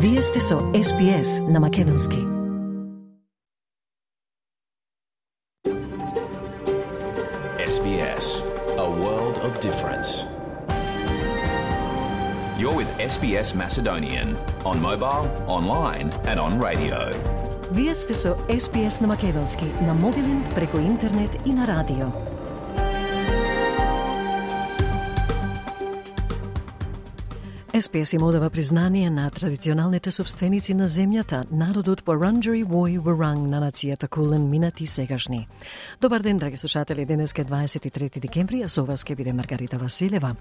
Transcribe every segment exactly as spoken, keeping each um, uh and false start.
Вие сте со Ес Би Ес на македонски. Ес Би Ес, a world of difference. You're with Ес Би Ес Macedonian on mobile, online and on radio. Вие сте со Ес Би Ес на македонски, на мобилен, преку интернет и на радио. Ес Би Ес им одава признание на традиционалните собственици на земјата, народот Вуранџари Вој Вуранг на нацијата Кулен, минати сегашни. Добар ден, драги слушатели, денеска е дваесет и трети декември, а со вас ке биде Маргарита Василева.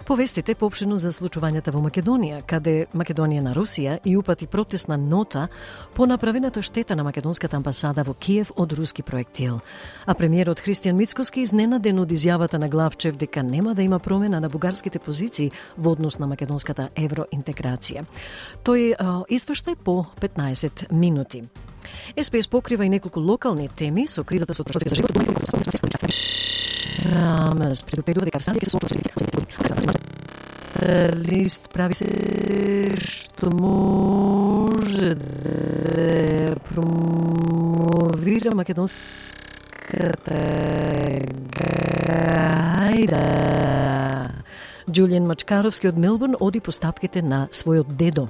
Повестите поопштено за случувањата во Македонија, каде Македонија на Русија и упати протестна нота по направената штета на македонската амбасада во Киев од руски проектил. А премиерот Христијан Мицкоски изненаден од изјавата на Главчев дека нема да има промена на бугарските позиции во однос на македонската евроинтеграција. Тој а, извештај по петнаесет минути. Ес Би Ес покрива и неколку локални теми со кризата со трошоците за живот. Рамес предупредува дека Австралија ќе се соочи лист прави се што може да промовира македонската гајда. Џулијан Мачкаровски од Мелбурн оди по стапките на својот дедо.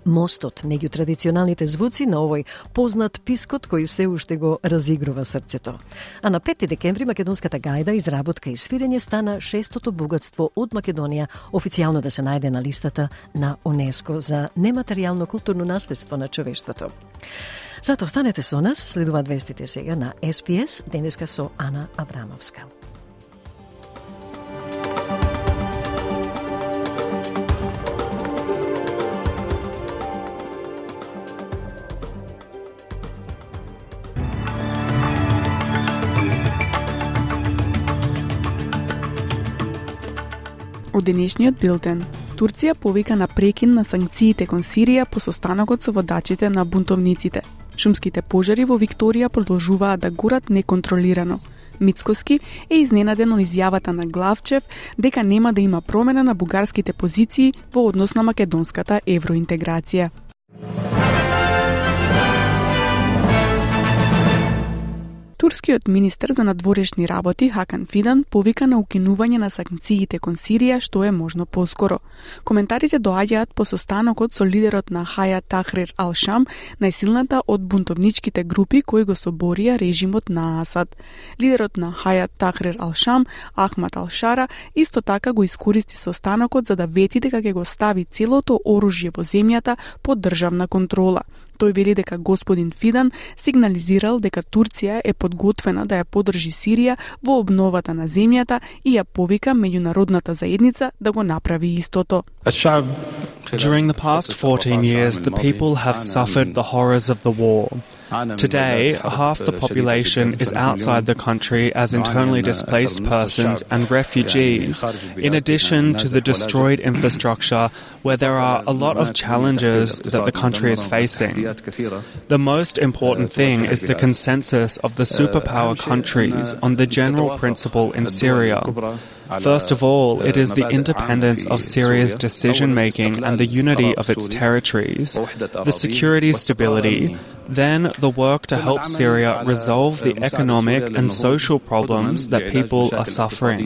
Мостот меѓу традиционалните звуци на овој познат пискот кој се уште го разигрува срцето. А на пети декември македонската гајда, изработка и свирење стана шестото богатство од Македонија официјално да се најде на листата на УНЕСКО за нематеријално културно наследство на човештвото. Зато останете со нас, следуваат вестите сега на Ес Би Ес, денеска со Ана Аврамовска. Од денешниот билтен, Турција повика на прекин на санкциите кон Сирија по состанокот со водачите на бунтовниците. Шумските пожари во Викторија продолжуваат да горат неконтролирано. Мицкоски е изненаден од изјавата на Главчев дека нема да има промена на бугарските позиции во однос на македонската евроинтеграција. Турскиот министер за надворешни работи Хакан Фидан повика на укинување на санкциите кон Сирија што е можно поскоро. Коментарите доаѓаат по состанокот со лидерот на Хајат Тахрир ал-Шам, најсилната од бунтовничките групи кои го соборија режимот на Асад. Лидерот на Хајат Тахрир ал-Шам, Ахмад ал-Шара, исто така го искористи состанокот за да вети дека ќе го стави целото оружје во земјата под државна контрола. Тој вели дека господин Фидан сигнализирал дека Турција е подготвена да ја поддржи Сирија во обновата на земјата и ја повика меѓународната заедница да го направи истото. During the past fourteen years, the people have suffered the horrors of the war. Today, half the population is outside the country as internally displaced persons and refugees, in addition to the destroyed infrastructure where there are a lot of challenges that the country is facing. The most important thing is the consensus of the superpower countries on the general principle in Syria. First of all, it is the independence of Syria's decision-making and the unity of its territories, the security stability, then the work to help Syria resolve the economic and social problems that people are suffering.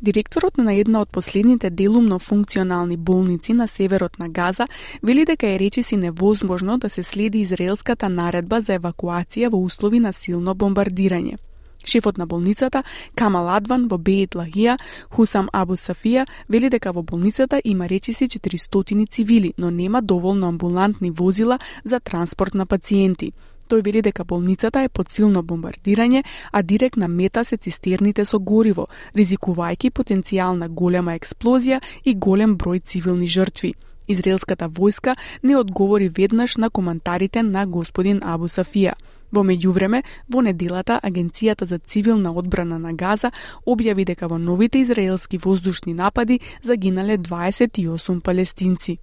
Директорот на една од последните делумно функционални болници на северот на Газа вели дека е речиси невозможно да се следи израелската наредба за евакуација во услови на силно бомбардирање. Шефот на болницата, Камал Адван во Беит Лахија, Хусам Абу Сафија, вели дека во болницата има речиси четиристотини цивили, но нема доволно амбулантни возила за транспорт на пациенти. Тој вели дека болницата е под силно бомбардирање, а директна мета се цистерните со гориво, ризикувајќи потенцијална голема експлозија и голем број цивилни жртви. Израелската војска не одговори веднаш на коментарите на господин Абу Сафија. Во меѓувреме, во неделата Агенцијата за цивилна одбрана на Газа објави дека во новите израелски воздушни напади загинале дваесет и осум палестинци.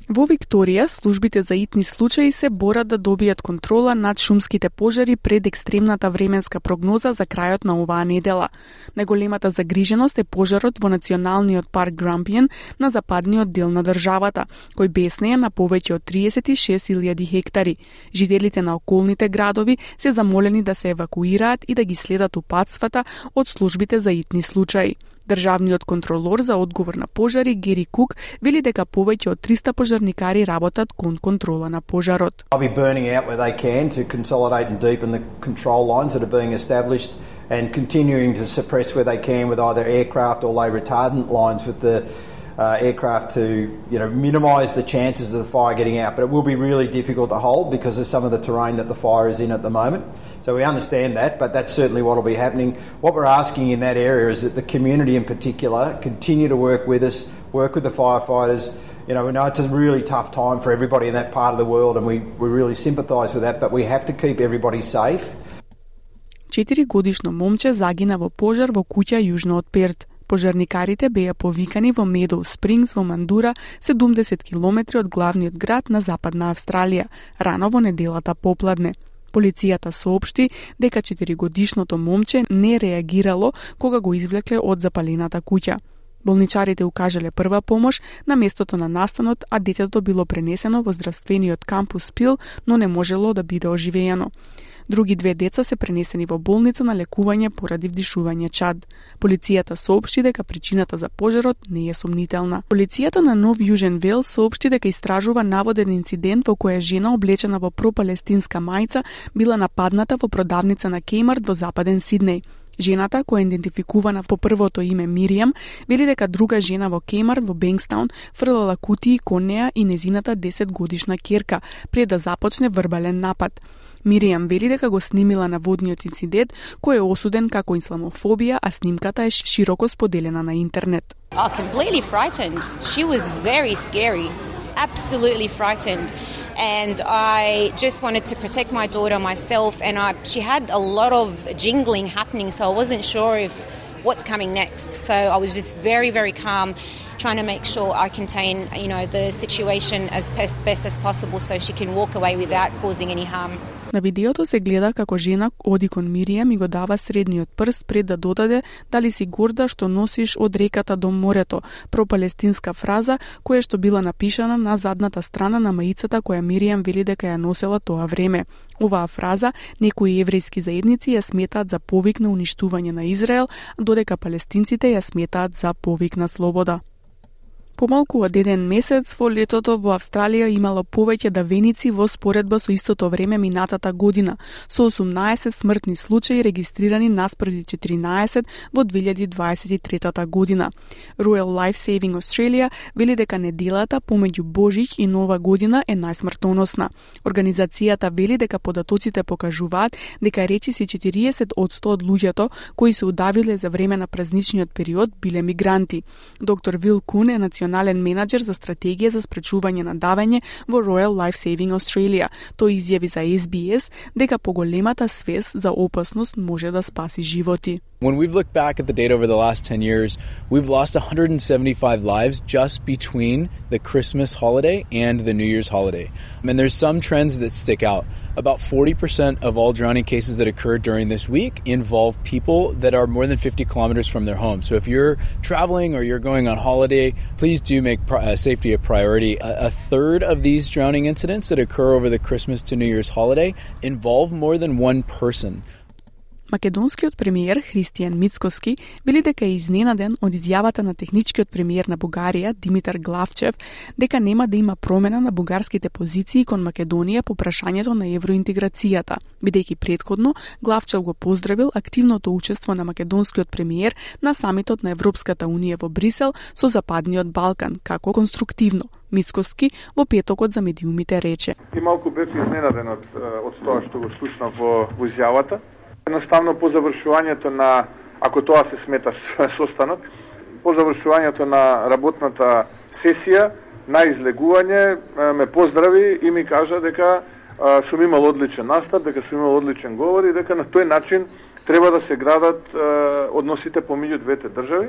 Во Викторија, службите за итни случаи се борат да добијат контрола над шумските пожари пред екстремната временска прогноза за крајот на оваа недела. Најголемата загриженост е пожарот во националниот парк Грампиен на западниот дел на државата, кој беснее на повеќе од триесет и шест илјади хектари. Жителите на околните градови се замолени да се евакуираат и да ги следат упатствата од службите за итни случаи. Државниот контролор за одговор на пожари Гери Кук вели дека повеќе од триста пожарникари работат кон контрола на пожарот. I'll be burning out where they can to consolidate and deepen the control lines that are being established and continuing to suppress where they can with either aircraft or lay retardant lines with the uh, aircraft to, you know, minimise the chances of the fire getting out. But it will be really difficult to hold because of some of the terrain that the fire is in at the moment. So we understand that, but that's certainly what will be happening. What we're asking in that area is that the community in particular continue to work with us, work with the firefighters. You know, we know it's a really tough time for everybody in that part of the world and we, we really sympathise with that, but we have to keep everybody safe. Четиригодишно момче загина во пожар во куќа јужно од Перт. Пожарникарите беа повикани во Медоу Спрингс во Мандура, седумдесет километри од главниот град на Западна Австралија, рано во неделата попладне. Полицијата соопшти дека четиригодишното момче не реагирало кога го извлекле од запалената куќа. Болничарите укажале прва помош на местото на настанот, а детето било пренесено во здравствениот кампус Пил, но не можело да биде оживеено. Други две деца се пренесени во болница на лекување поради вдишување чад. Полицијата соопшти дека причината за пожарот не е сомнителна. Полицијата на Нов Јужен Велс соопшти дека истражува наводен инцидент во која жена облечена во пропалестинска мајца била нападната во продавница на Кеймарт во Западен Сиднеј. Жената, која е идентификувана по првото име Миријам, вели дека друга жена во Кеймарт во Бенкстаун фрлала кутии кон неа и незината десетгодишна ќерка пред да започне вербален напад. Миријам вели дека го снимила наводниот инцидент, кој е осуден како исламофобија, а снимката е широко споделена на интернет. Oh, completely frightened. She was very scary. Absolutely frightened. And I just wanted to protect my daughter myself, and I, she had a lot of jingling happening, so I wasn't sure if what's coming next. So I was just very, very calm, trying to make sure I contain, you know, the situation as best, best as possible so she can walk away without causing any harm. На видеото се гледа како жена оди кон Миријам и го дава средниот прст пред да додаде дали си горда што носиш од реката до морето, пропалестинска фраза која што била напишана на задната страна на маицата која Миријам вели дека ја носела тоа време. Оваа фраза некои еврејски заедници ја сметаат за повик на уништување на Израел, додека палестинците ја сметаат за повик на слобода. Помалку од еден месец во летото во Австралија имало повеќе давеници во споредба со истото време минатата година, со осумнаесет смртни случаи регистрирани наспреди четиринаесет во две илјади дваесет и трета година. Royal Life Saving Australia вели дека неделата помеѓу Божиќ и Нова година е најсмртоносна. Организацијата вели дека податоците покажуваат дека речиси четириесет одсто од луѓето кои се удавиле за време на празничниот период биле мигранти. Доктор Вил Кун е национален менаџер за стратегија за спречување на давење во Royal Life Saving Australia. Тој изјави за Ес Би Ес дека поголемата свест за опасност може да спаси животи. When we've looked back at the data over the last ten years, we've lost one hundred seventy-five lives just between the Christmas holiday and the New Year's holiday. And there's some trends that stick out. About forty percent of all drowning cases that occur during this week involve people that are more than fifty kilometers from their home. So if you're traveling or you're going on holiday, please do make uh, safety a priority. A, a third of these drowning incidents that occur over the Christmas to New Year's holiday involve more than one person. Македонскиот премиер Христијан Мицкоски вели дека е изненаден од изјавата на техничкиот премиер на Бугарија Димитар Главчев дека нема да има промена на бугарските позиции кон Македонија по прашањето на евроинтеграцијата, бидејќи претходно Главчев го поздравил активното учество на македонскиот премиер на самитот на Европската унија во Брисел со Западниот Балкан како конструктивно. Мицкоски во петокот за медиумите рече: И малку бев изненаден од од тоа што го слушнав во, во изјавата. Едноставно по завршувањето на, ако тоа се смета состанок, по завршувањето на работната сесија, на излегување ме поздрави и ми кажа дека а, сум имал одличен настап, дека сум имал одличен говор и дека на тој начин треба да се градат а, односите помеѓу двете држави.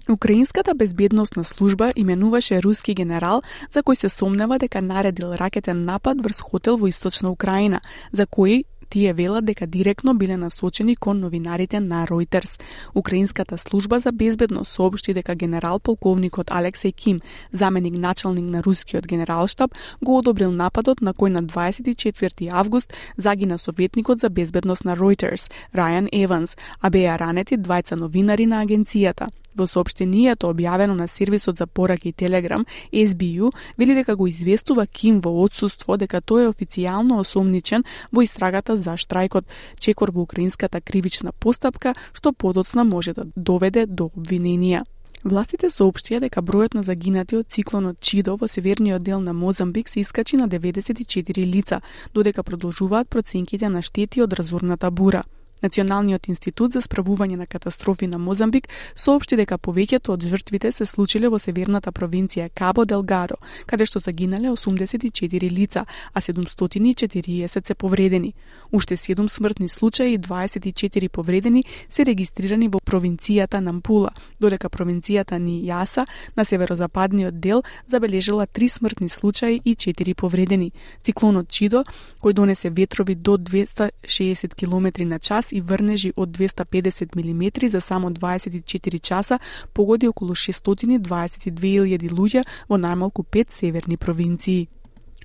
Украинската безбедносна служба именуваше руски генерал за кој се сомнева дека наредил ракетен напад врз хотел во источна Украина, за кој тие велат дека директно биле насочени кон новинарите на Reuters. Украинската служба за безбедност соопшти дека генерал полковникот Алексеј Ким, заменик началник на рускиот генералштаб, го одобрил нападот на кој на дваесет и четврти август загина советникот за безбедност на Reuters, Рајан Еванс, а беа ранети двајца новинари на агенцијата. Во соопштението објавено на сервисот за пораки Telegram, Ес Би Ю вели дека го известува Ким во отсуство дека тој е официјално осомничен во истрагата за штрајкот, чекор во украинската кривична постапка, што подоцна може да доведе до обвиненија. Властите соопштија дека бројот на загинати од циклонот Чидо во северниот дел на Мозамбик се искачи на деветдесет и четири лица, додека продолжуваат проценките на штети од разорната бура. Националниот институт за справување на катастрофи на Мозамбик соопшти дека повеќето од жртвите се случиле во северната провинција Кабо Делгаро, каде што загинале осумдесет и четири лица, а седумстотини и четириесет се повредени. Уште седум смртни случаи и дваесет и четири повредени се регистрирани во провинцијата Нампула, додека провинцијата Нијаса на северозападниот дел забележала три смртни случаи и четири повредени. Циклонот Чидо, кој донесе ветрови до двесте и шеесет километри на час и врнежи од двесте и педесет милиметри за само дваесет и четири часа, погоди околу шестстотини и дваесет и две илјади луѓе во најмалку пет северни провинции.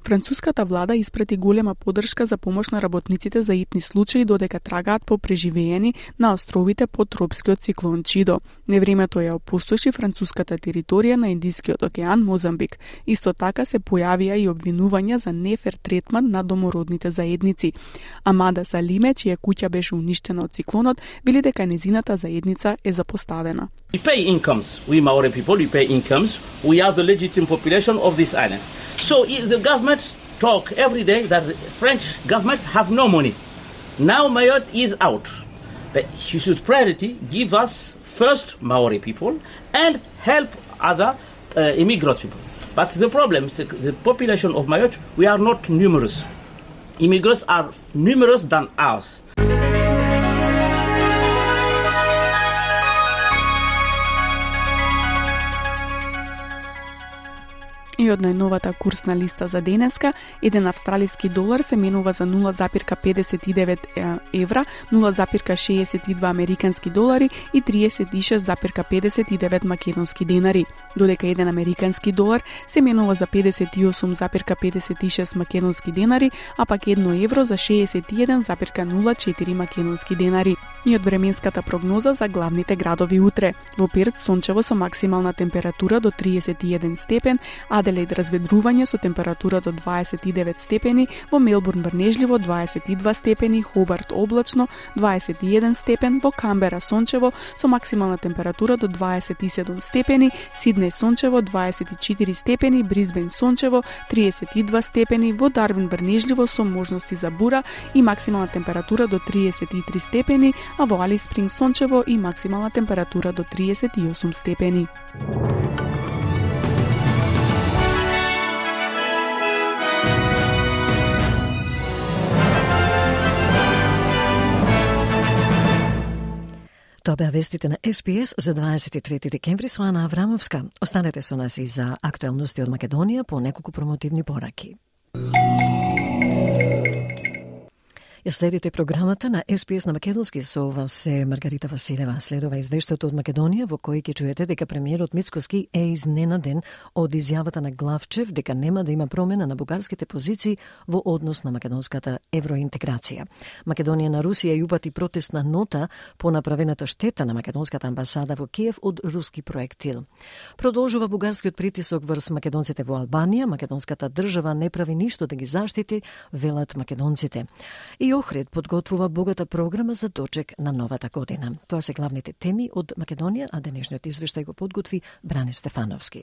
Француската влада испрати голема поддршка за помош на работниците за итни случаи додека трагаат по преживеени на островите под тропскиот циклон Чидо. Невремето ја опустоши француската територија на Индискиот океан Мозамбик. Исто така се појавија и обвинувања за нефер третман на домородните заедници. Амада Салиме, чија куќа беше уништена од циклонот, вели дека незината заедница е запоставена. We pay incomes. We Maori people, we pay incomes. We are the legitimate population of this island. So the government talk every day that the French government have no money. Now Mayotte is out. But you should priority give us first Maori people and help other uh, immigrant people. But the problem is the population of Mayotte, we are not numerous. Immigrants are numerous than us. И од најновата курсна листа за денеска, еден австралиски долар се менува за нула запирка педесет и девет евра, нула запирка шеесет и два американски долари и триесет и шест запирка педесет и девет македонски денари, додека еден американски долар се менува за педесет и осум запирка педесет и шест македонски денари, а пак едно евро за шеесет и еден запирка нула четири македонски денари. И од временската прогноза за главните градови утре. Во Перт сончево со максимална температура до триесет и еден степен, Аделаид разведрување со температура до дваесет и девет степени, во Мелбурн врнежливо дваесет и два степени, Хобарт облачно дваесет и еден степен, во Камбера сончево со максимална температура до дваесет и седум степени, Сиднеј сончево дваесет и четири степени, Брисбен сончево триесет и два степени, во Дарвин врнежливо со можности за бура и максимална температура до триесет и три степени, а во Алис Спринг сончево и максимална температура до триесет и осум степени. Тоа беа вестите на Ес Би Ес за дваесет и трети декември со Ана Аврамовска. Останете со нас и за актуелности од Македонија по неколку промотивни пораки. Ја следите програмата на Ес Би Ес на македонски, со вас е Маргарита Василева. Следува извештајот од Македонија во кој ќе чуете дека премиерот Мицкоски е изненаден од изјавата на Главчев дека нема да има промена на бугарските позиции во однос на македонската евроинтеграција. Македонија на Русија ја упати протестна нота по направената штета на македонската амбасада во Киев од руски проектил. Продолжува бугарскиот притисок врз македонците во Албанија. Македонската држава не прави ништо да ги заштити, велат македонците. И Охрид подготвува богата програма за дочек на новата година. Тоа се главните теми од Македонија, а денешниот извештај го подготви Бране Стефановски.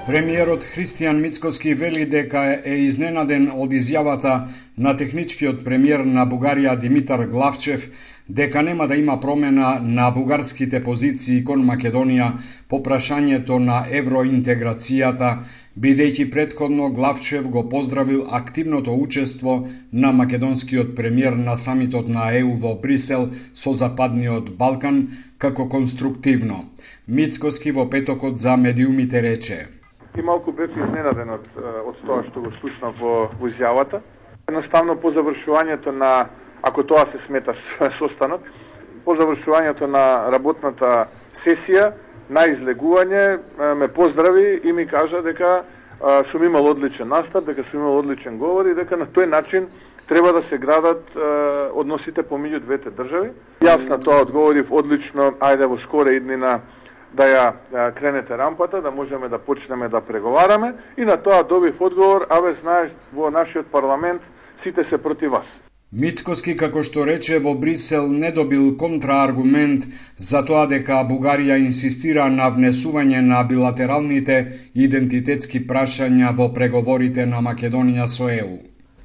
Премиерот Христијан Мицкоски вели дека е изненаден од изјавата на техничкиот премиер на Бугарија Димитар Главчев дека нема да има промена на бугарските позиции кон Македонија по прашањето на евроинтеграцијата, бидејќи претходно Главчев го поздравил активното учество на македонскиот премиер на самитот на Е У во Брисел со Западниот Балкан како конструктивно. Мицкоски во петокот за медиумите рече: И малку бев изненаден од, од тоа што го слушнав во, во изјавата. Едноставно по завршувањето на, ако тоа се смета состанок, по завршувањето на работната сесија, на излегување ме поздрави и ми кажа дека а, сум имал одличен настап, дека сум имал одличен говор и дека на тој начин треба да се градат а, односите помеѓу двете држави. Јас на тоа одговорив одлично, ајде во скора иднина да ја а, кренете рампата, да можеме да почнеме да преговараме, и на тоа добив одговор: абе, знаеш, во нашиот парламент сите се против вас. Мицкоски, како што рече, во Брисел не добил контрааргумент за тоа дека Бугарија инсистира на внесување на билатералните идентитетски прашања во преговорите на Македонија со Е У.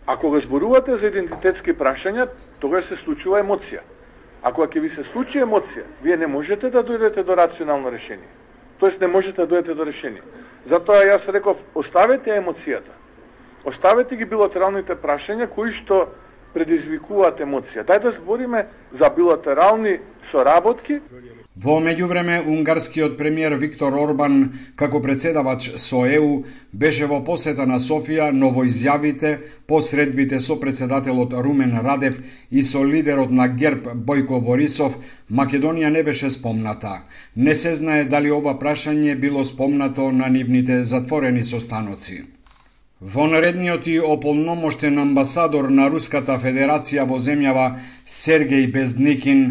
Ако го зборувате за идентитетски прашања, тогаш се случува емоција. Ако ќе ви се случи емоција, вие не можете да дојдете до рационално решение. Тоест не можете да дојдете до решение. Затоа јас реков, оставете емоцијата. Оставете ги билатералните прашања кои што предизвикуваат емоција. Дај да збориме за билатерални соработки. Во меѓувреме, унгарскиот премиер Виктор Орбан, како председавач со Е У, беше во посета на Софија, но во изјавите по средбите со председателот Румен Радев и со лидерот на ГЕРБ Бојко Борисов, Македонија не беше спомната. Не се знае дали ова прашање било спомнато на нивните затворени состаноци. Во наредниот и ополномоштен амбасадор на Руската Федерација во земјава Сергеј Безникин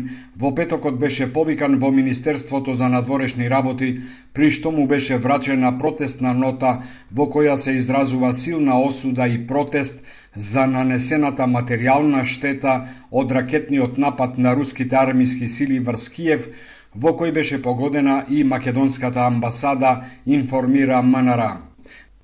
во петокот беше повикан во Министерството за надворешни работи, при што му беше врачена протестна нота во која се изразува силна осуда и протест за нанесената материјална штета од ракетниот напад на руските армиски сили врз Киев, во кој беше погодена и македонската амбасада, информира М Н Р.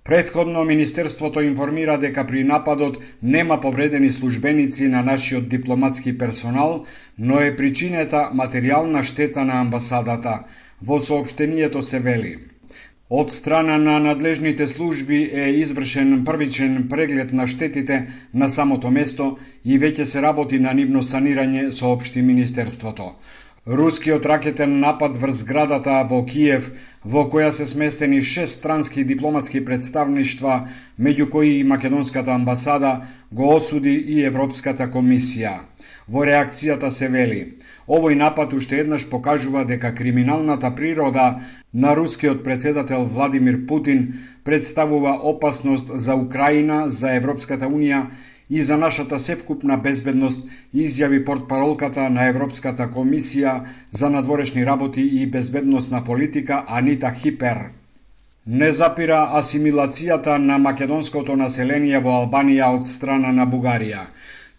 Претходно Министерството информира дека при нападот нема повредени службеници на нашиот дипломатски персонал, но е причинета материјална штета на амбасадата. Во соопштението се вели: од страна на надлежните служби е извршен првичен преглед на штетите на самото место и веќе се работи на нивно санирање, соопшти Министерството. Рускиот ракетен напад врз зградата во Киев, во која се сместени шест странски дипломатски представништва, меѓу кои и македонската амбасада, го осуди и Европската комисија. Во реакцијата се вели: овој напад уште еднаш покажува дека криминалната природа на рускиот председател Владимир Путин представува опасност за Украина, за Европската унија и за нашата севкупна безбедност, изјави портпаролката на Европската комисија за надворешни работи и безбедносна политика Анита Хипер. Не запира асимилацијата на македонското население во Албанија од страна на Бугарија.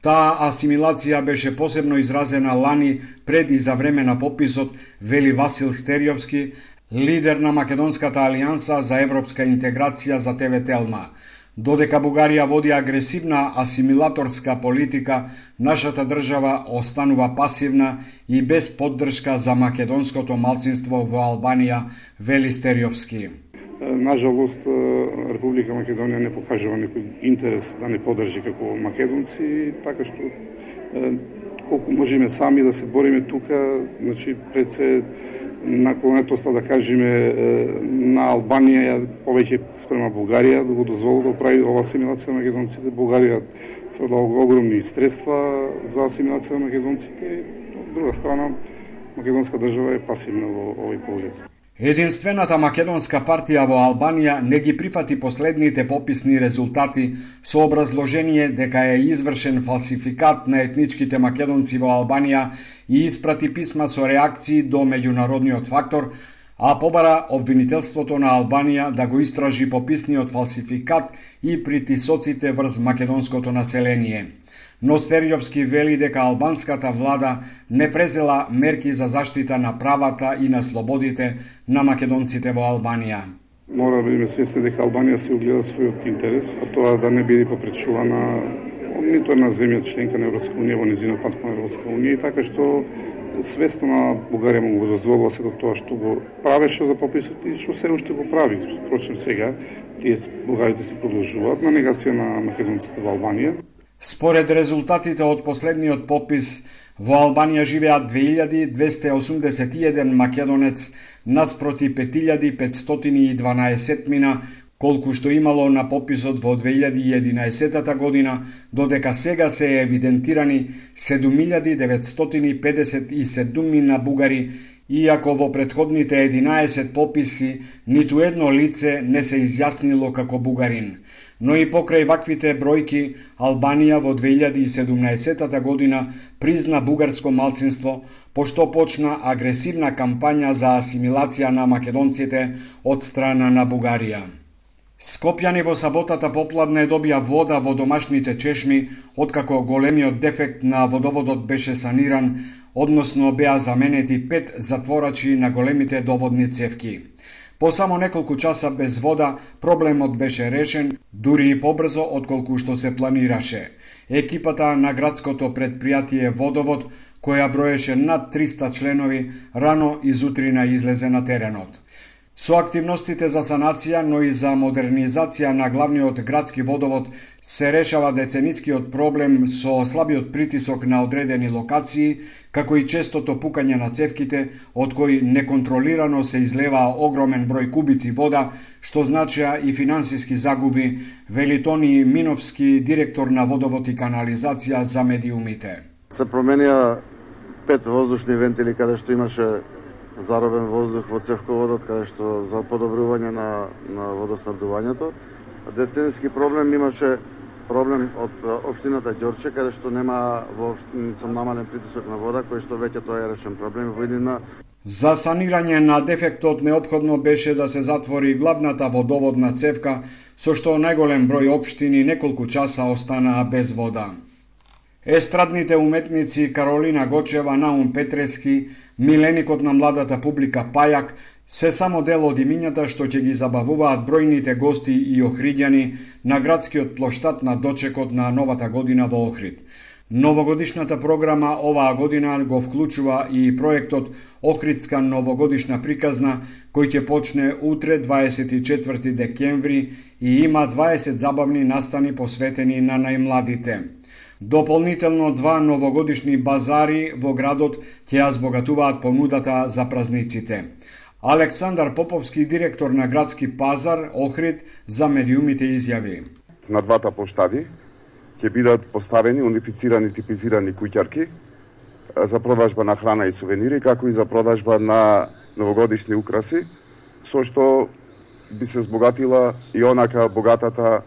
Таа асимилација беше посебно изразена лани пред и за време на пописот, вели Васил Стериовски, лидер на Македонската алијанса за европска интеграција за Те Ве Телма. Додека Бугарија води агресивна асимилаторска политика, нашата држава останува пасивна и без поддршка за македонското малцинство во Албанија, вели Стериовски. Нажалост, Република Македонија не покажува некој интерес да не поддржи како македонци, така што колку можеме сами да се бориме тука, значи пред се наклонетоста, да кажеме, на Албанија повеќе спрема Бугарија да го дозволи да прави ова асимилација на македонците. Бугарија фрлаа огромни средства за асимилација на македонците. Од друга страна, македонска држава е пасивна во овој поглед. Единствената македонска партија во Албанија не ги прифати последните пописни резултати со образложение дека е извршен фалсификат на етничките македонци во Албанија и испрати писма со реакции до меѓународниот фактор, а побара обвинителството на Албанија да го истражи пописниот фалсификат и притисоците врз македонското население. Но Стериовски вели дека албанската влада не презела мерки за заштита на правата и на слободите на македонците во Албанија. Мора да бидеме свесни дека Албанија се огледа својот интерес, а тоа да не биде попречувана нито една земја членка на Европска унија во низинот пат кон Европска унија, така што свесно на Бугарија му го дозволува се до тоа што го правеше за пописот и што се уште го прави. Впрочем сега тие бугарите се продолжуваат на негација на македонците во Албанија. Според резултатите од последниот попис, во Албанија живеат две илјади двесте и осумдесет и еден македонец наспроти пет илјади петстотини и дванаесет мина, колку што имало на пописот во две илјади и единаесета година, додека сега се евидентирани седум илјади деветстотини педесет и седум мина бугари, иако во претходните единаесет пописи ниту едно лице не се изјаснило како бугарин. Но и покрај ваквите бројки, Албанија во две илјади и седумнаесета година призна бугарско малцинство, пошто почна агресивна кампања за асимилација на македонците од страна на Бугарија. Скопјани во саботата попладне добија вода во домашните чешми, откако големиот дефект на водоводот беше саниран, односно беа заменети пет затворачи на големите доводни цевки. По само неколку часа без вода, проблемот беше решен, дури и побрзо отколку што се планираше. Екипата на градското предпријатие Водовод, која броеше над триста членови, рано изутрина излезе на теренот. Со активностите за санација, но и за модернизација на главниот градски водовод се решава деценискиот проблем со слабиот притисок на одредени локации, како и честото пукање на цевките, од кои неконтролирано се излеваа огромен број кубици вода, што значеа и финансиски загуби, вели Тони Миновски, директор на водовод и канализација за медиумите. Се променија пет воздушни вентили каде што имаше заробен воздух во цевководот, каде што за подобрување на, на водоснабдувањето. Децениски проблем имаше проблем од општината Ѓорче, каде што нема воопшто сам намален притисок на вода, кој што веќе тоа е решен проблем во иднина. За санирање на дефектот неопходно беше да се затвори главната водоводна цевка, со што најголем број општини неколку часа останаа без вода. Естрадните уметници Каролина Гочева, Наум Петрески, миленикот на младата публика Пајак се само дел од имињата што ќе ги забавуваат бројните гости и охриѓани на градскиот плоштад на дочекот на новата година во Охрид. Новогодишната програма оваа година го вклучува и проектот Охридска новогодишна приказна, кој ќе почне утре дваесет и четврти декември и има дваесет забавни настани посветени на најмладите. Дополнително два новогодишни базари во градот ќе ја збогатуваат понудата за празниците. Александар Поповски, директор на градски пазар Охрид, за медиумите изјави. На двата плоштади ќе бидат поставени унифицирани типизирани куќарки за продажба на храна и сувенири, како и за продажба на новогодишни украси, со што би се збогатила и онака богатата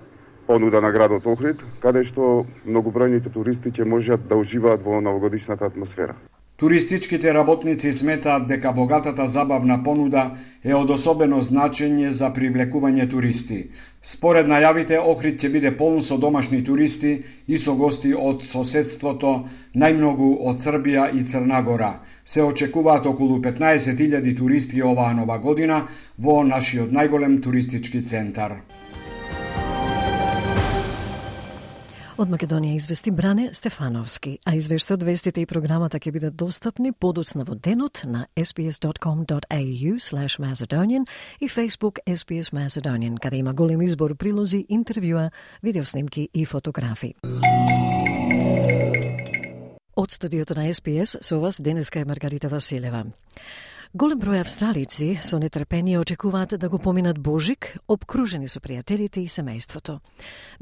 понуда на градот Охрид, каде што многобројните туристи ќе можат да уживаат во новогодишната атмосфера. Туристичките работници сметаат дека богатата забавна понуда е од особено значење за привлекување туристи. Според најавите, Охрид ќе биде полн со домашни туристи и со гости од соседството, најмногу од Србија и Црна Гора. Се очекуваат околу петнаесет илјади туристи оваа нова година во нашиот најголем туристички центар. Од Македонија извести Бране Стефановски, а извештајот, вестите и програмата ќе бидат достапни подоцна во денот на ес би ес dot com dot a u slash Macedonian и Facebook ес би ес Macedonian, каде има голем избор прилози, интервјуа, видеоснимки и фотографии. Од студиото на ес би ес со вас денеска е Маргарита Василева. Голем број австралици со нетрпение очекуваат да го поминат Божик, обкружени со пријателите и семејството.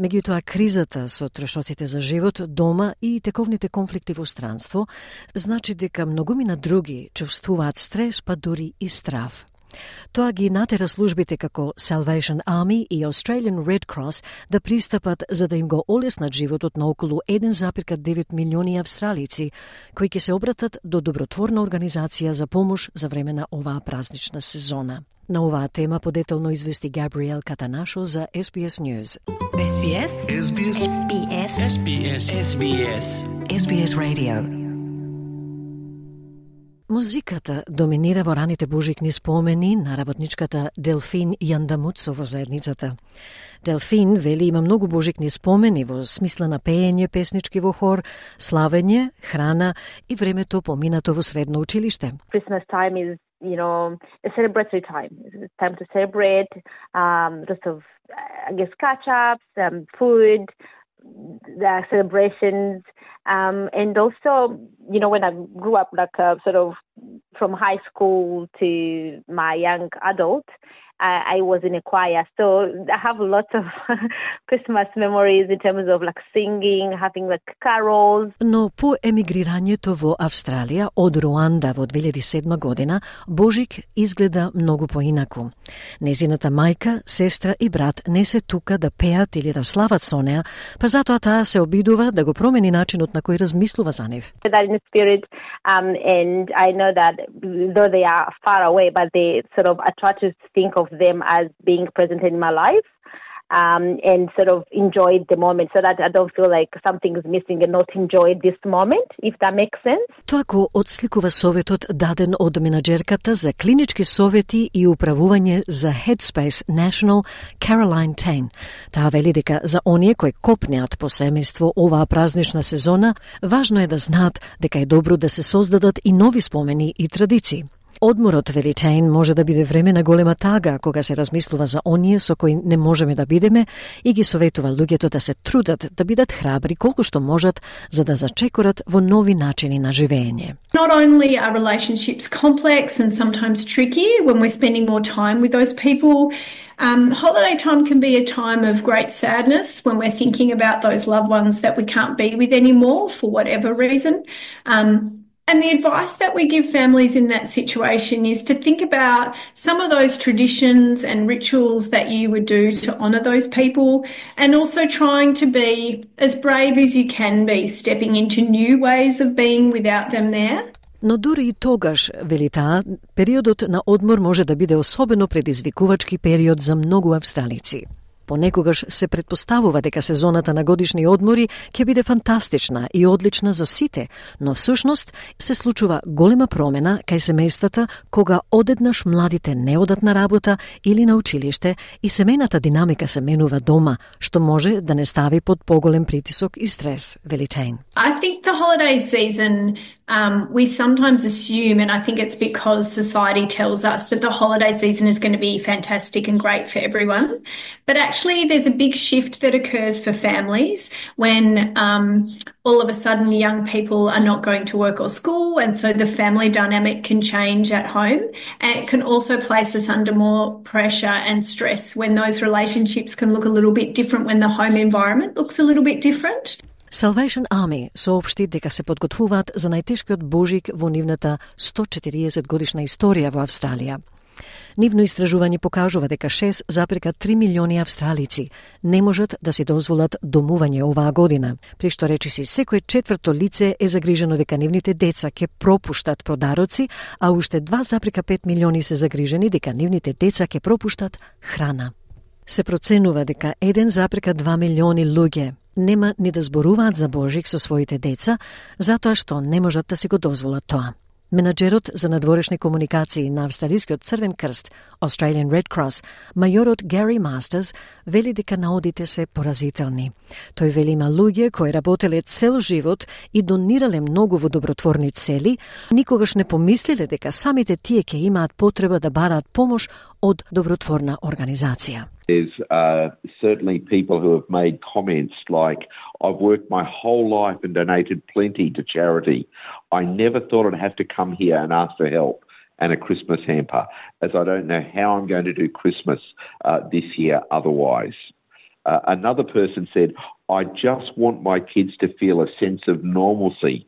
Меѓутоа, кризата со трошоците за живот дома и тековните конфликти во странство значи дека многумина други чувствуваат стрес, па дури и страв. Тоа ги натера службите како Salvation Army и Australian Red Cross да пристапат за да им го олеснат животот на околу еден запирка девет милиони австралици, кои ќе се обратат до добротворна организација за помош за време на оваа празнична сезона. На оваа тема подетелно извести Габриел Катанашо за ес би ес News. ес би ес ес би ес ес би ес ес би ес ес би ес ес би ес Radio. Музиката доминира во раните божикни спомени на работничката Делфин Јандамуцо во заедницата. Делфин вели има многу божикни спомени во смисла на пеење, песнички во хор, славење, храна и времето поминато во средно училиште. Christmas time is, you know, a celebratory time. It's time to celebrate, um, lots of, I guess, catch-ups, um, food, the celebrations, um, and also, you know, when I grew up, like uh, sort of from high school to my young adult, I, I was in a choir, so I have lots of Christmas memories in terms of like singing, having like carols. Но по емигрирањето во Австралија од Руанда во две илјади и седма година, Божик изгледа многу поинаку. Незината мајка, сестра и брат не се тука да пеат или да слават со неа, па затоа таа се обидува да го промени начинот на кој размислува за нив. That in the spirit, um, and I know that though they are far away, but they sort of I try to think of them as being present in my life, um, and sort of enjoy the moment so that I don't feel like something is missing and not enjoy this moment, if that makes sense. Тоа го отсликува советот даден од менаџерката за клинички совети и управување за Headspace National Caroline Tain. Таа вели дека за оние кои копнеат по семејство оваа празнична сезона, важно е да знаат дека е добро да се создадат и нови спомени и традиции. Одморот, вели Tain, може да биде време на голема тага кога се размислува за оние со кои не можеме да бидеме и ги советува луѓето да се трудат да бидат храбри колку што можат за да зачекорат во нови начини на живење. Not only are relationships complex and sometimes tricky when we're spending more time with those people, um, holiday time can be a time of great sadness when we're thinking about those loved ones that we can't be with anymore for whatever reason. Um, And the advice that we give families in that situation is to think about some of those traditions and rituals that you would do to honour those people, and also trying to be as brave as you can be, stepping into new ways of being without them there. Но дури и тогаш, вели таа, периодот на одмор може да биде особено предизвикувачки период за многу австралици. Понекогаш се предпоставува дека сезоната на годишни одмори ќе биде фантастична и одлична за сите, но всушност се случува голема промена кај семејствата кога одеднаш младите не одат на работа или на училиште и семејната динамика се менува дома, што може да не стави под поголем притисок и стрес, вели Tain. I think the holiday season, um, we sometimes assume, and I think it's because society tells us that the holiday season is going to be fantastic and great for everyone, but actually there's a big shift that occurs for families when um, all of a sudden young people are not going to work or school, and so the family dynamic can change at home, and it can also place us under more pressure and stress when those relationships can look a little bit different, when the home environment looks a little bit different. Salvation Army соопшти дека се подготвуваат за најтешкиот Божик во нивната сто и четириесет годишна историја во Австралија. Нивно истражување покажува дека шест запирка три милиони австралици не можат да си дозволат домување оваа година, при што речиси секој четврто лице е загрижено дека нивните деца ќе пропуштат подароци, а уште два запирка пет милиони се загрижени дека нивните деца ќе пропуштат храна. Се проценува дека еден запирка два милиони луѓе нема ни да зборуваат за Божик со своите деца, затоа што не можат да си го дозволат тоа. Менаџерот за надворешни комуникации на Австралискиот Црвен крст, Australian Red Cross, мајорот Гари Мастерс, вели дека наодите се поразителни. Тој вели има луѓе кои работеле цел живот и донирале многу во добротворни цели, никогаш не помислиле дека самите тие ќе имаат потреба да бараат помош од добротворна организација. There's uh, certainly people who have made comments like, I've worked my whole life and donated plenty to charity. I never thought I'd have to come here and ask for help and a Christmas hamper, as I don't know how I'm going to do Christmas uh, this year otherwise. Uh, another person said, I just want my kids to feel a sense of normalcy,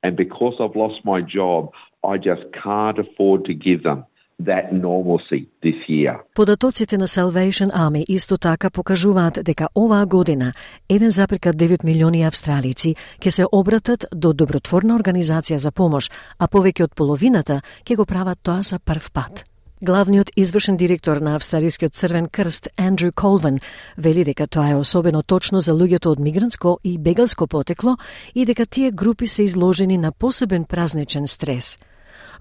and because I've lost my job, I just can't afford to give them that normalcy this year. Податоците на Salvation Army исто така покажуваат дека оваа година еден запирка девет милиони австралици ќе се обратат до добротворна организација за помош, а повеќе од половината ќе го прават тоа за прв пат. Главниот извршен директор на Австралискиот Црвен крст Андрю Колвин вели дека тоа е особено точно за луѓето од мигрантско и бегалско потекло и дека тие групи се изложени на посебен празничен стрес.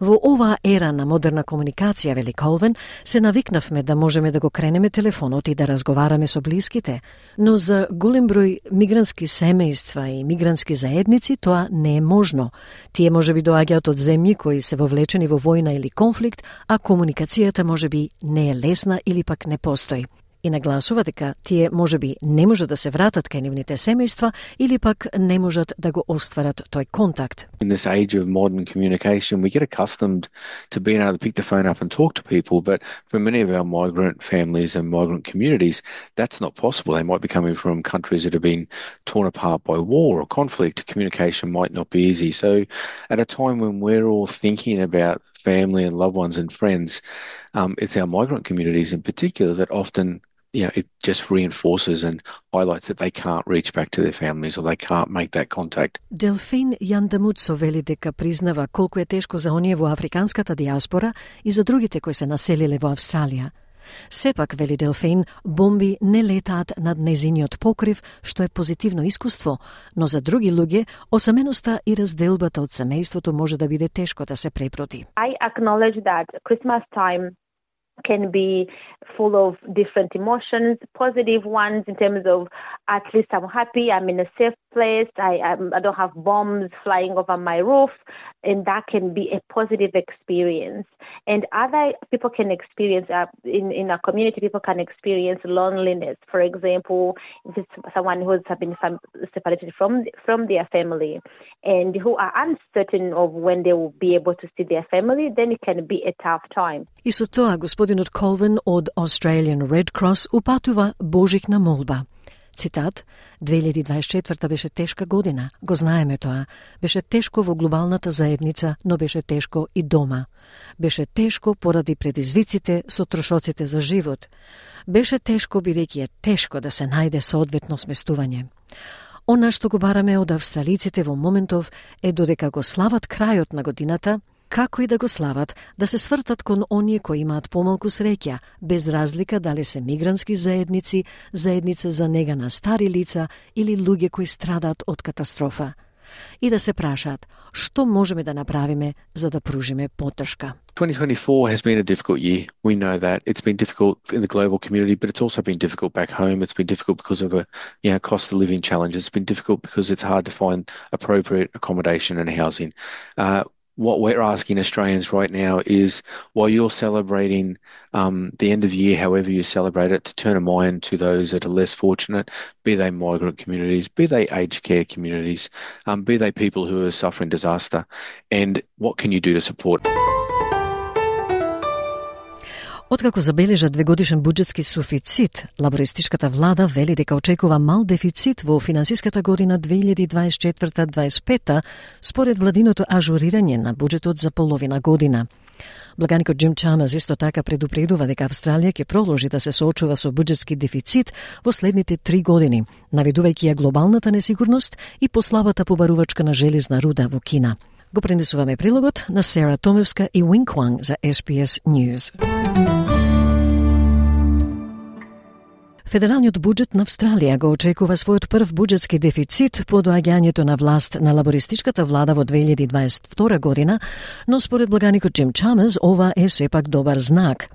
Во оваа ера на модерна комуникација, вели Колвин, се навикнавме да можеме да го кренеме телефонот и да разговараме со блиските, но за голем број мигрантски семејства и мигрантски заедници тоа не е можно. Тие можеби доаѓаат од земји кои се вовлечени во војна или конфликт, а комуникацијата можеби не е лесна или пак не постои. И нагласува дека тие можеби не можат да се вратат кај нивните семејства или пак не можат да го остварат тој контакт. In this age of modern communication, we get accustomed to being able to pick the phone up and talk to people, but for many of our migrant families and migrant communities, that's not possible. They might be coming from countries that have been torn apart by war or conflict. Communication might not be easy. So at a time when we're all thinking about family and loved ones and friends, um, it's our migrant communities in particular that often you know, it just reinforces and highlights that they can't reach back to their families or they can't make that contact. Делфин Јандамуцо вели дека признава колку е тешко за оние во африканската диаспора и за другите кои се населиле во Австралија. Сепак, вели Делфин, бомби не летаат над незиниот покрив, што е позитивно искуство, но за други луѓе, осаменоста и разделбата од семејството може да биде тешко да се препроти. I acknowledge that Christmas time can be full of different emotions, positive ones in terms of at least I'm happy, I'm in a safe place, I, I'm, I don't have bombs flying over my roof, and that can be a positive experience. And other people can experience, uh, in, in a community, people can experience loneliness. For example, if it's someone who has been separated from, from their family and who are uncertain of when they will be able to see their family, then it can be a tough time. И со тоа, господинот Колвин од Australian Red Cross упатува божикна молба. Цитат, две илјади и дваесет и четврта беше тешка година, го знаеме тоа. Беше тешко во глобалната заедница, но беше тешко и дома. Беше тешко поради предизвиците со трошоците за живот. Беше тешко бидејќи е тешко да се најде соодветно сместување. Она што го бараме од австралиците во моментов е додека го слават крајот на годината, како и да го слават, да се свртат кон оние кои имаат помалку среќа, без разлика дали се мигрантски заедници, заедница за нега на стари лица или луѓе кои страдаат од катастрофа. И да се прашаат, што можеме да направиме за да пружиме поддршка. twenty twenty-four has been a difficult year. We know that. It's been difficult in the global community, but it's also been difficult back home. It's been difficult because of a, you know, cost of living challenges. It's been difficult because it's hard to find appropriate accommodation and housing. Uh, What we're asking Australians right now is, while you're celebrating um, the end of year, however you celebrate it, to turn a mind to those that are less fortunate, be they migrant communities, be they aged care communities, um, be they people who are suffering disaster, and what can you do to support? Откако забележа двегодишен буџетски суфицит, лабористичката влада вели дека очекува мал дефицит во финансиската година две илјади и дваесет и четврта дваесет и пета според владиното ажурирање на буџетот за половина година. Благаникот Джим Чамерс исто така предупредува дека Австралија ќе продолжи да се соочува со буџетски дефицит во следните три години, наведувајќи ја глобалната несигурност и послабата побарувачка на железна руда во Кина. Го пренесуваме прилогот на Сера Томевска и Wing Wang за Ес Би Ес News. Федералниот буџет на Австралија го очекува својот прв буџетски дефицит по доаѓањето на власт на лабористичката влада во две илјади и дваесет и втора година, но според благаникот Джим Чамерс ова е сепак добар знак.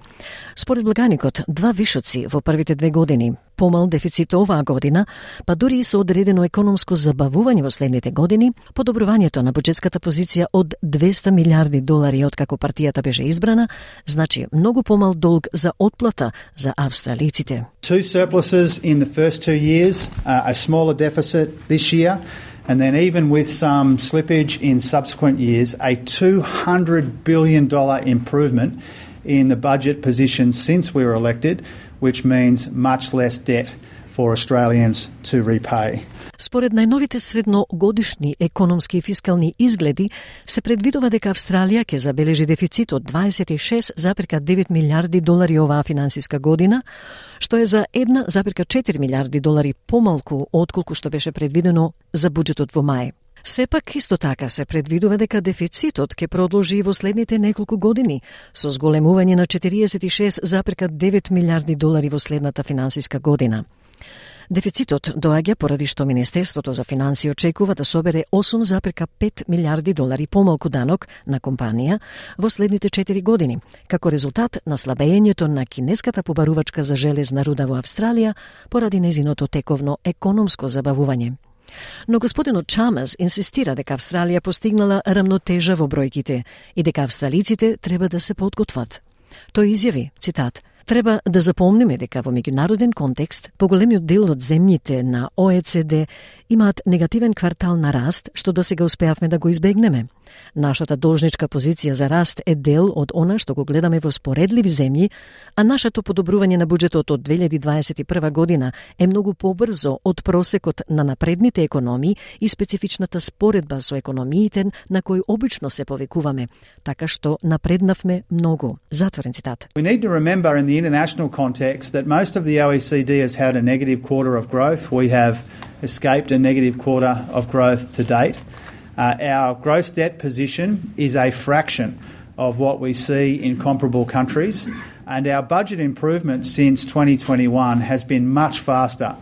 Според благаникот, два вишоци во првите две години, помал дефицит оваа година, па дури и со одредено економско забавување во следните години, подобрувањето на буџетската позиција од двеста милиарди долари откако партијата беше избрана, значи многу помал долг за отплата за австралиците. Two surpluses in the first two years, uh, a smaller deficit this year, and then even with some slippage in subsequent years, a two hundred billion dollars improvement in the budget position since we were elected, which means much less debt for Australians to repay. Според најновите средногодишни економски и фискални изгледи, се предвидува дека Австралија ќе забележи дефицит од дваесет и шест зарез девет милиарди долари оваа финансиска година, што е за една зарез четири милиарди долари помалку отколку што беше предвидено за буџетот во мај. Сепак, исто така се предвидува дека дефицитот ќе продолжи во следните неколку години, со зголемување на четириесет и шест зарез девет милиарди долари во следната финансиска година. Дефицитот доаѓа поради што Министерството за финансии очекува да собере осум зарез пет милиарди долари помалку данок на компанија во следните четири години, како резултат на слабењето на кинеската побарувачка за железна руда во Австралија поради незиното тековно економско забавување. Но господинот Чамас инсистира дека Австралија постигнала рамнотежа во бројките и дека австралиците треба да се подготват. Тој изјави, цитат, "Треба да запомниме дека во меѓународен контекст поголемиот дел од земјите на О Е Це Де имаат негативен квартал на раст, што досега успеавме да го избегнеме. Нашата должничка позиција за раст е дел од она што го гледаме во споредливи земји, а нашето подобрување на буџетот од две илјади дваесет и прва година е многу побрзо од просекот на напредните економии и специфичната споредба со економиите на кои обично се повикуваме, така што напреднавме многу." Затворен цитат. We need to remember in the international context that most of the O E C D has had a negative quarter of growth. We have escaped a negative quarter of growth to date. Uh, our gross debt position is a fraction of what we see in comparable countries, and our budget improvement since twenty twenty-one has been much faster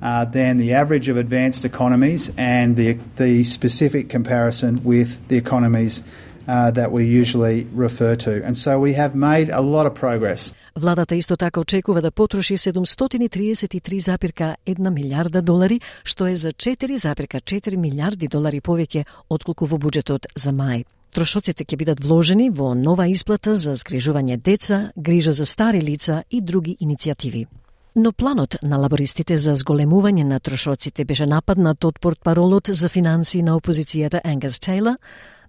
uh, than the average of advanced economies and the, the specific comparison with the economies uh, that we usually refer to. And so we have made a lot of progress. Владата исто така очекува да потроши седумстотини и триесет и три зарез една милиарда долари, што е за четири зарез четири милиарди долари повеќе отколку во буџетот за мај. Трошоците ќе бидат вложени во нова исплата за згрижување деца, грижа за стари лица и други иницијативи. Но планот на лабористите за зголемување на трошоците беше нападнат од портпаролот за финансии на опозицијата Ангус Тейлор,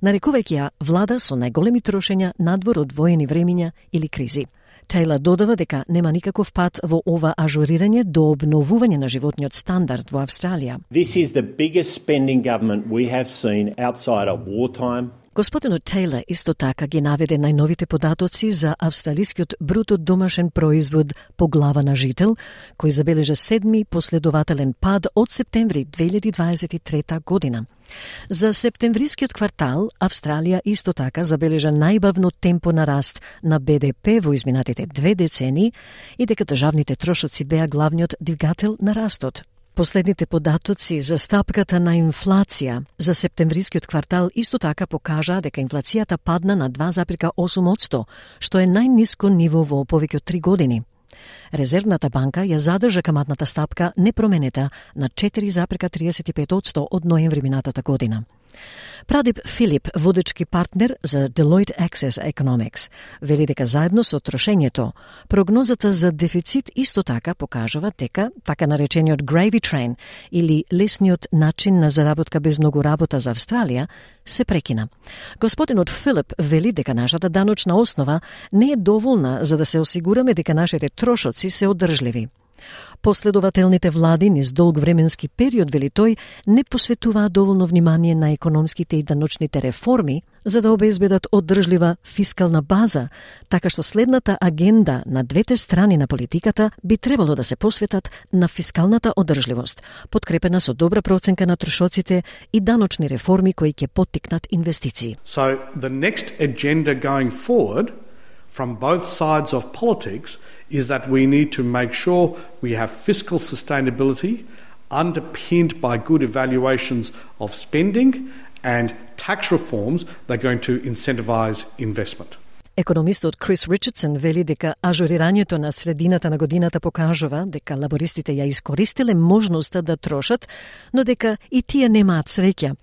нарекувајќи ја влада со најголеми трошења надвор од воени времиња или кризи. Тейлор додава дека нема никаков пат во ова ажурирање до обновување на животниот стандард во Австралија. This is the biggest spending government we have seen outside of wartime. Господинот Тейлор исто така ги наведе најновите податоци за австралискиот бруто домашен производ по глава на жител, кој забележа седми последователен пад од септември две илјади дваесет и трета година. За септемврискиот квартал, Австралија исто така забележа најбавно темпо на раст на Б Д П во изминатите две децении и дека државните трошоци беа главниот двигател на растот. Последните податоци за стапката на инфлација за септемврискиот квартал исто така покажа дека инфлацијата падна на два зарез осум одсто, што е најниско ниво во повеќе од три години. Резервната банка ја задржа каматната стапка непроменета на четири зарез триесет и пет одсто од ноември минатата година. Прадип Филип, водечки партнер за Deloitte Access Economics, вели дека заедно со трошењето, прогнозата за дефицит исто така покажува дека така наречениот gravy train или лесниот начин на заработка без многу работа за Австралија се прекина. Господинот Филип вели дека нашата даночна основа не е доволна за да се осигураме дека нашите трошоци се одржливи. Последователните влади низ долг временски период, вели тој, не посветуваат доволно внимание на економските и даночните реформи за да обезбедат одржлива фискална база, така што следната агенда на двете страни на политиката би требало да се посветат на фискалната одржливост, подкрепена со добра проценка на трошоците и даночни реформи кои ќе поттикнат инвестиции. So the next agenda going forward from both sides of politics is that we need to make sure we have fiscal sustainability underpinned by good evaluations of spending and tax reforms that are going to incentivise investment. Економистот Крис Ричардсон вели дека ажурирањето на средината на годината покажува дека лабористите ја искористиле можноста да трошат, но дека и тие немаат среќа.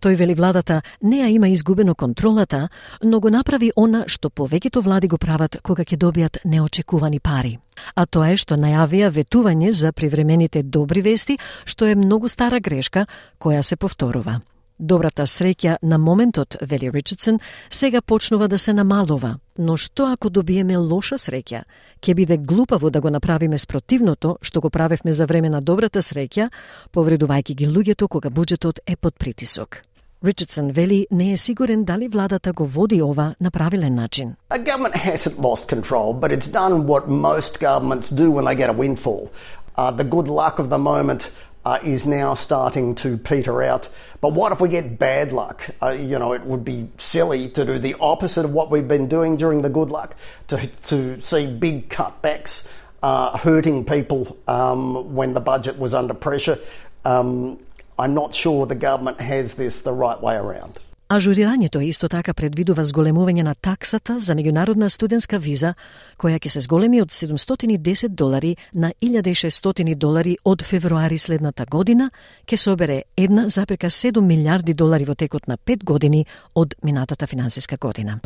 Тој вели владата не ја има изгубено контролата, но го направи она што повеќето влади го прават кога ќе добијат неочекувани пари. А тоа е што најавија ветување за привремените добри вести, што е многу стара грешка која се повторува. Добрата среќа на моментот, вели Ричардсон, сега почнува да се намалува. Но што ако добиеме лоша среќа? Ќе биде глупаво да го направиме спротивното што го правевме за време на добрата среќа, повредувајќи ги луѓето кога буџетот е под притисок. Ричардсон вели не е сигурен дали владата го води ова на правилен начин. A government hasn't lost control, but it's done what most governments do when they get a windfall. Uh, the good luck of the moment Uh, is now starting to peter out. But what if we get bad luck? Uh, you know, it would be silly to do the opposite of what we've been doing during the good luck, to, to see big cutbacks uh, hurting people um, when the budget was under pressure. Um, I'm not sure the government has this the right way around. Ажурирањето исто така предвидува зголемување на таксата за меѓународна студентска виза, која ќе се зголеми од седумстотини и десет долари на илјада и шестстотини долари од февруари следната година, ќе собере една запека седум милијарди долари во текот на пет години од минатата финансиска година.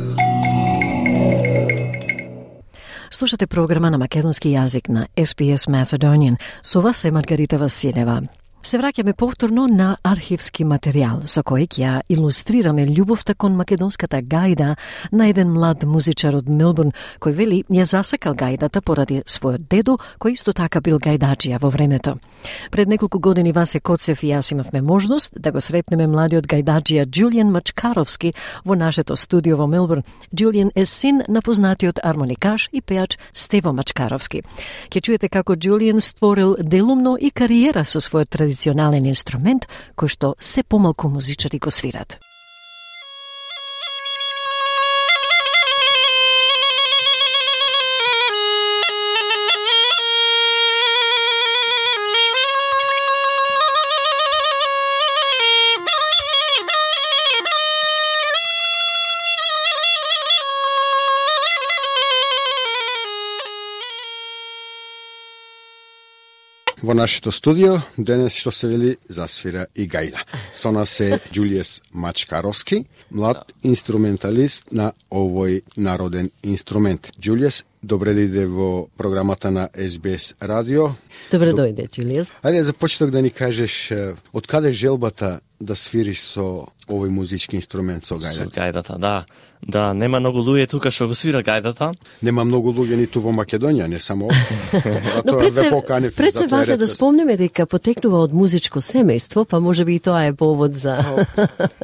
Слушате програма на македонски јазик на Ес Би Ес Macedonian. Со вас е Маргарита Василева. Се враќаме повторно на архивски материјал со кој ќе илустрираме љубовта кон македонската гајда на еден млад музичар од Мелбурн, кој вели ја засакал гајдата поради својот дедо, кој исто така бил гајдаджија во времето. Пред неколку години Васе Коцев и јас имавме можност да го сретнеме младиот гајдаджија Џулијан Мачкаровски во нашето студио во Мелбурн. Џулијан е син на познатиот армоникаш и пеач Стево Мачкаровски. Ќе чуете како Џулијан створил делумно и кариера со својот традиционален инструмент кој што се помалку музичари го свират. Во нашето студио денес што се вели засвира и гајда. Со нас е Џулијан Мачкаровски, млад инструменталист на овој народен инструмент. Џулијан, добре дојде во програмата на Ес Би Ес радио. Добре дојде, Џулијан. Ајде за почеток да ни кажеш од каде желбата да свириш со овој музички инструмент, со гајдата? Со гајдата, да. Да, нема многу луѓе тука што го свира гајдата. Нема многу луѓе ниту во Македонија, не само овде. Но пред се, пред се Васе да спомнеме дека потекнува од музичко семејство, па може би и тоа е повод за...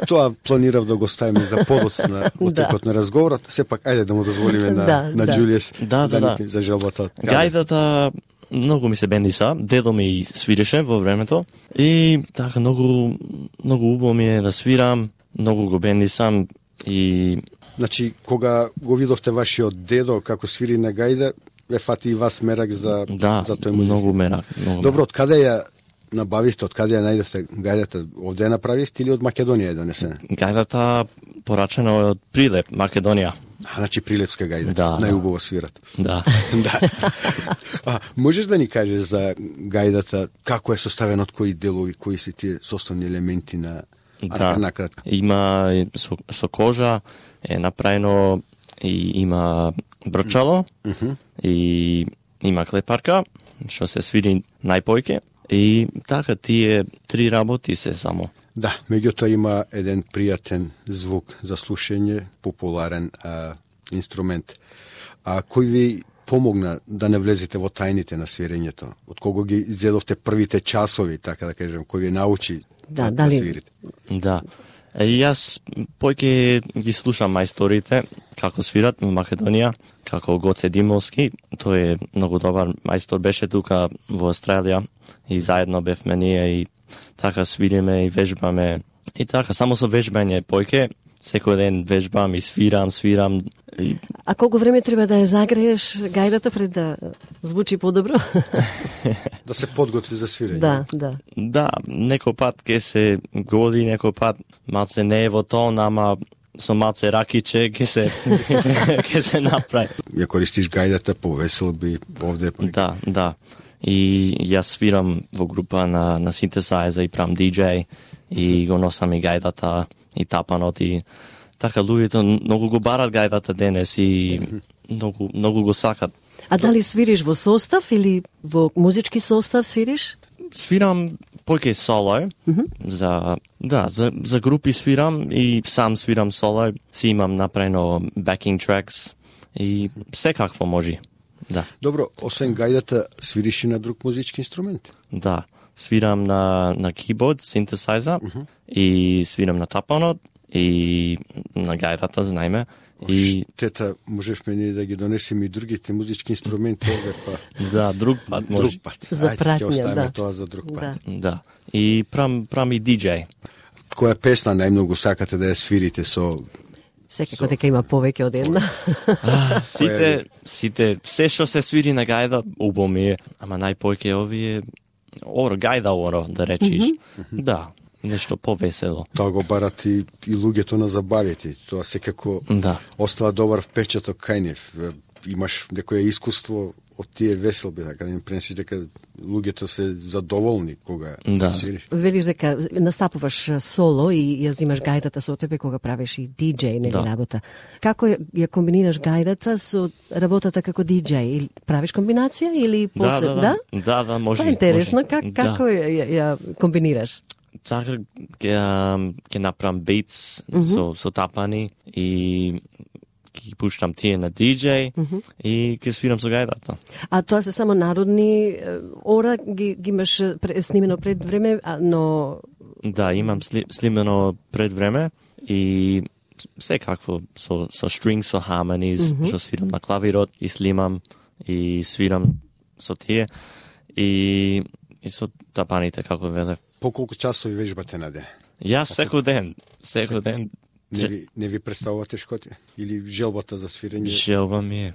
Тоа планирав да го ставиме за подоцна во текот на разговорот. Сепак, ајде да му дозволиме на, да, на да. Џулијан да, да, да. за желбата. Гајдата многу ми се бендиса, дедо ми свиреше во времето и така многу многу убаво ми е да свирам, многу го бендисам и значи кога го видовте вашиот дедо како свири на гајда, ве фати и вас мерак за да, за тој музик. Многу мерак, многу. Добро, од каде ја набавивте, од каде ја најдовте гајдата? Овде ја направивте или од Македонија е донесена? Гајдата порачена од Прилеп, Македонија. А, значи прилепска гајда, да, најубаво свират. Да. да. А, можеш да ни кажеш за гајдата, како е составена, од кои делови, кои се тие составни елементи на да. накратко? Има со, со кожа, е направено и има брчало, mm -hmm. и има клепарка, што се свири најпојке, и така тие три работи се само. Да, меѓутоа има еден пријатен звук за слушање, популарен а, инструмент. А кој ви помогна да не влезете во тајните на свирењето? Од кого ги зедовте првите часови, така да кажем, кој ви научи да, да, дали... да свирите? Да. И јас појќе ги слушам мајсторите како свират во Македонија, како Гоце Димовски, тој е многу добар мајстор, беше тука во Австралија и заедно бевме ние и така свириме и вежбаме. И така, само со вежбање појќе, секој ден вежбам и свирам, свирам. И... А колку време треба да ја загрееш гајдата пред да звучи подобро? Да се подготви за свирење. Да, да. Да, некој пат ке се годи, некој пат малце не е во тон, ама со малце ракиче ке се ке се направи. Ја користиш гајдата по веселби овде? Да, да. И јас свирам во група на, на синтесајза и прам диџеј и го носам и гајдата и тапанот и така луѓето многу го барат гајдата денес и многу, многу го сакат. А дали свириш во состав или во музички состав свириш? Свирам појќе соло, mm -hmm. за да, за за групи свирам и сам свирам соло, си имам направено backing tracks и секакво може. Да. Добро, освен гајдата, свириш и на друг музички инструмент? Да, свирам на на keyboard, синтесајза mm -hmm. и свирам на тапанот и на гајдата, знаеме. И тета, можевме ние да ги донесеме и другите музички инструменти овде, па. Да, друг пат може. Друг пат. За пратња, ќе оставиме да. тоа за друг пат. Да. да. И прам прам и диџеј. Која песна најмногу сакате да ја свирите со Секако дека има повеќе од една. А, сите, сите, се што се свири на гајда, убаво ми е, ама најпојке овие, оро, гајда оро, да речиш. Mm-hmm. Да, нешто повесело. Тоа го барат и, и луѓето на забавите. Тоа секако да. Остава добар впечаток кај нив. Имаш некое искуство од тие веселби, така да им пренесиш дека луѓето се задоволни кога да. свириш. Велиш дека настапуваш соло и ја взимаш гајдата со тебе кога правиш и диџеј, нели да. Работа. Како ја, ја комбинираш гајдата со работата како диџеј? Или правиш комбинација или после да? Да, да, да, да може. Тоа е интересно, може. как, како да. ја, ја комбинираш? Така ќе ќе направам beats mm-hmm. со со тапани и ќе пуштам тие на диџеј mm-hmm. и ќе свирам со гајдата. А тоа се само народни ора ги, ги имаш снимено пред време, но да, имам сли, снимено пред време и секакво со со strings, со harmonies, mm-hmm. што свирам на клавирот и снимам и свирам со тие и и со тапаните како веле. По колку часови вежбате на ден? Јас секој ден, секој ден. Не ви, не ви представува тешкоти? Или желбата за свирење? Желба ми е.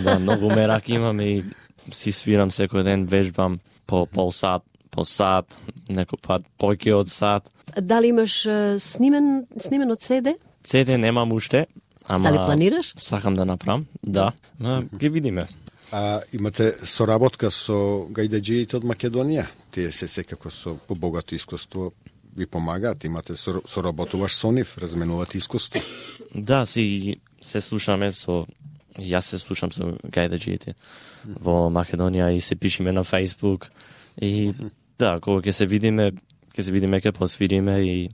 Да, многу мерак имам и си свирам секој ден, вежбам по пол сат, по сат, некој пат појќе од сат. Дали имаш uh, снимен, снимен од седе? седе немам уште, ама дали планираш? Сакам да направам, да. Ма ги видиме. А имате соработка со гајдаџиите од Македонија? Тие се секако со побогато искуство ви помагаат, имате соработуваш со нив, разменувате искуство? Да, си се слушаме со јас се слушам со гајдаџиите во Македонија и се пишеме на Facebook и да, кога ќе се видиме, ќе се видиме, ќе посвириме и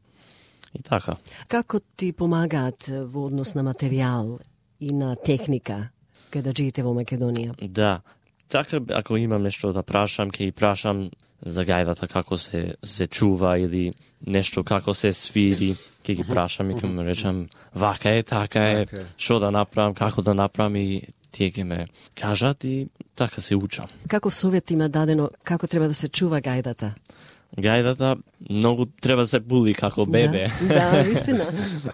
и така. Како ти помагаат во однос на материјал и на техника гајдаџиите во Македонија? Да, така ако имам нешто да прашам, ќе и прашам за гајдата како се се чува или нешто како се свири, ќе ги прашам и ќе му речам вака е, така е, што да направам, како да направам и тие ќе ме кажат и така се учам. Каков совет има дадено како треба да се чува гајдата? Гајдата многу треба да се були како бебе. Да, да, вистина.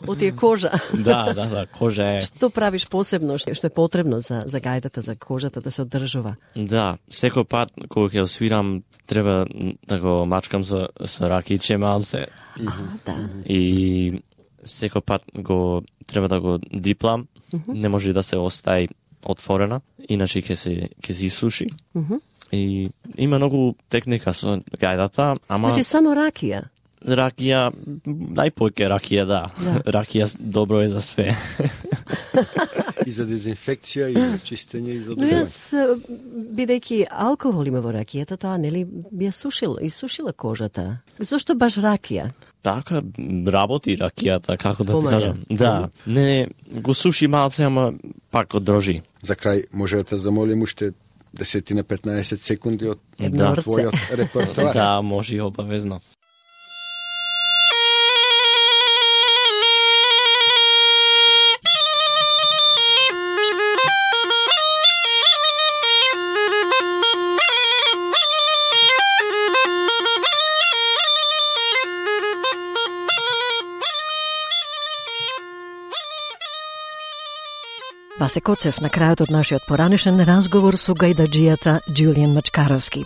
Од тие кожа. Да, да, да, кожа е. Што правиш посебно, што е потребно за за гајдата, за кожата да се одржува? Да, секој пат кога ќе освирам треба да го мачкам со со ракиче малце. А, да. И секој пат го треба да го диплам, mm-hmm. не може да се остаи отворена, иначе ќе се ќе се исуши. Mm-hmm. И има многу техника со гајдата, ама значи само ракија. Ракија, најпојке ракија, да. да. Ракија добро е за све. И за дезинфекција, и за чистење, и за Но јас, бидејќи алкохол има во ракијата, тоа нели би ја сушила, исушила кожата. Зошто баш ракија? Така, работи ракијата, како да ти кажам. Да, не, го суши малце, ама пак одржи. За крај, може да те замолим уште десет на петнаесет секунди од да. твојот репертоар. Да, може и обавезно. Васе Коцев на крајот од нашиот поранешен разговор со гајдаџијата Џулијан Мачкаровски.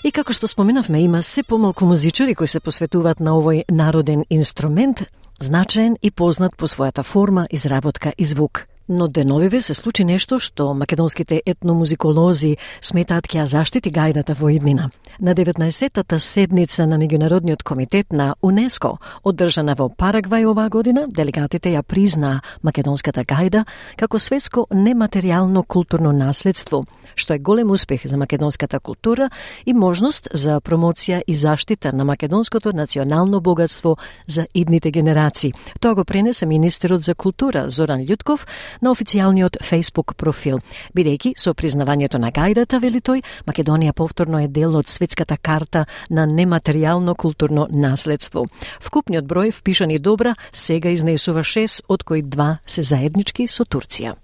И како што споменавме, има се помалку музичари кои се посветуваат на овој народен инструмент, значаен и познат по својата форма, изработка и звук. Но деновиве се случи нешто што македонските етномузиколози сметаат ќе ја заштити гајдата во иднина. На деветнаесеттата седница на Меѓународниот комитет на УНЕСКО, одржана во Парагвај оваа година, делегатите ја признаа македонската гајда како светско нематеријално културно наследство, што е голем успех за македонската култура и можност за промоција и заштита на македонското национално богатство за идните генерации. Тоа го пренесе министерот за култура Зоран Љутков на официјалниот Facebook профил. Бидејќи со признавањето на гајдата, вели тој, Македонија повторно е дел од светската карта на нематеријално културно наследство. Вкупниот број впишани добра сега изнесува шест, од кои два се заеднички со Турција.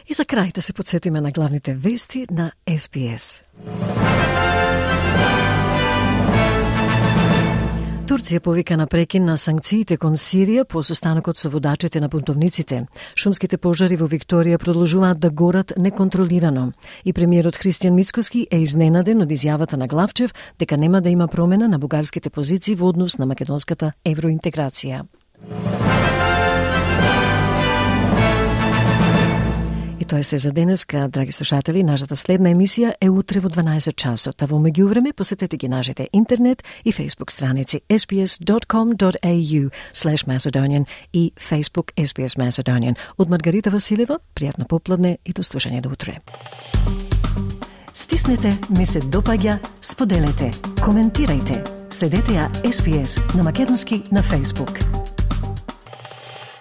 И за крај да се подсетиме на главните вести на Ес Би Ес. Турција повика на прекин на санкциите кон Сирија по состанокот со водачите на бунтовниците. Шумските пожари во Викторија продолжуваат да горат неконтролирано. И премиерот Христијан Мицкоски е изненаден од изјавата на Главчев дека нема да има промена на бугарските позиции во однос на македонската евроинтеграција. И тоа е се за денеска, драги слушатели. Нашата следна емисија е утре во дванаесет часот, а во меѓувреме посетете ги нашите интернет и Facebook страници ес би ес dot com dot a u slash Macedonian и Facebook ес би ес Macedonian. Од Маргарита Василева, пријатно попладне и до слушање до утре. Стиснете, ми се допаѓа, споделете, коментирајте. Следете ја ес би ес на македонски на Facebook.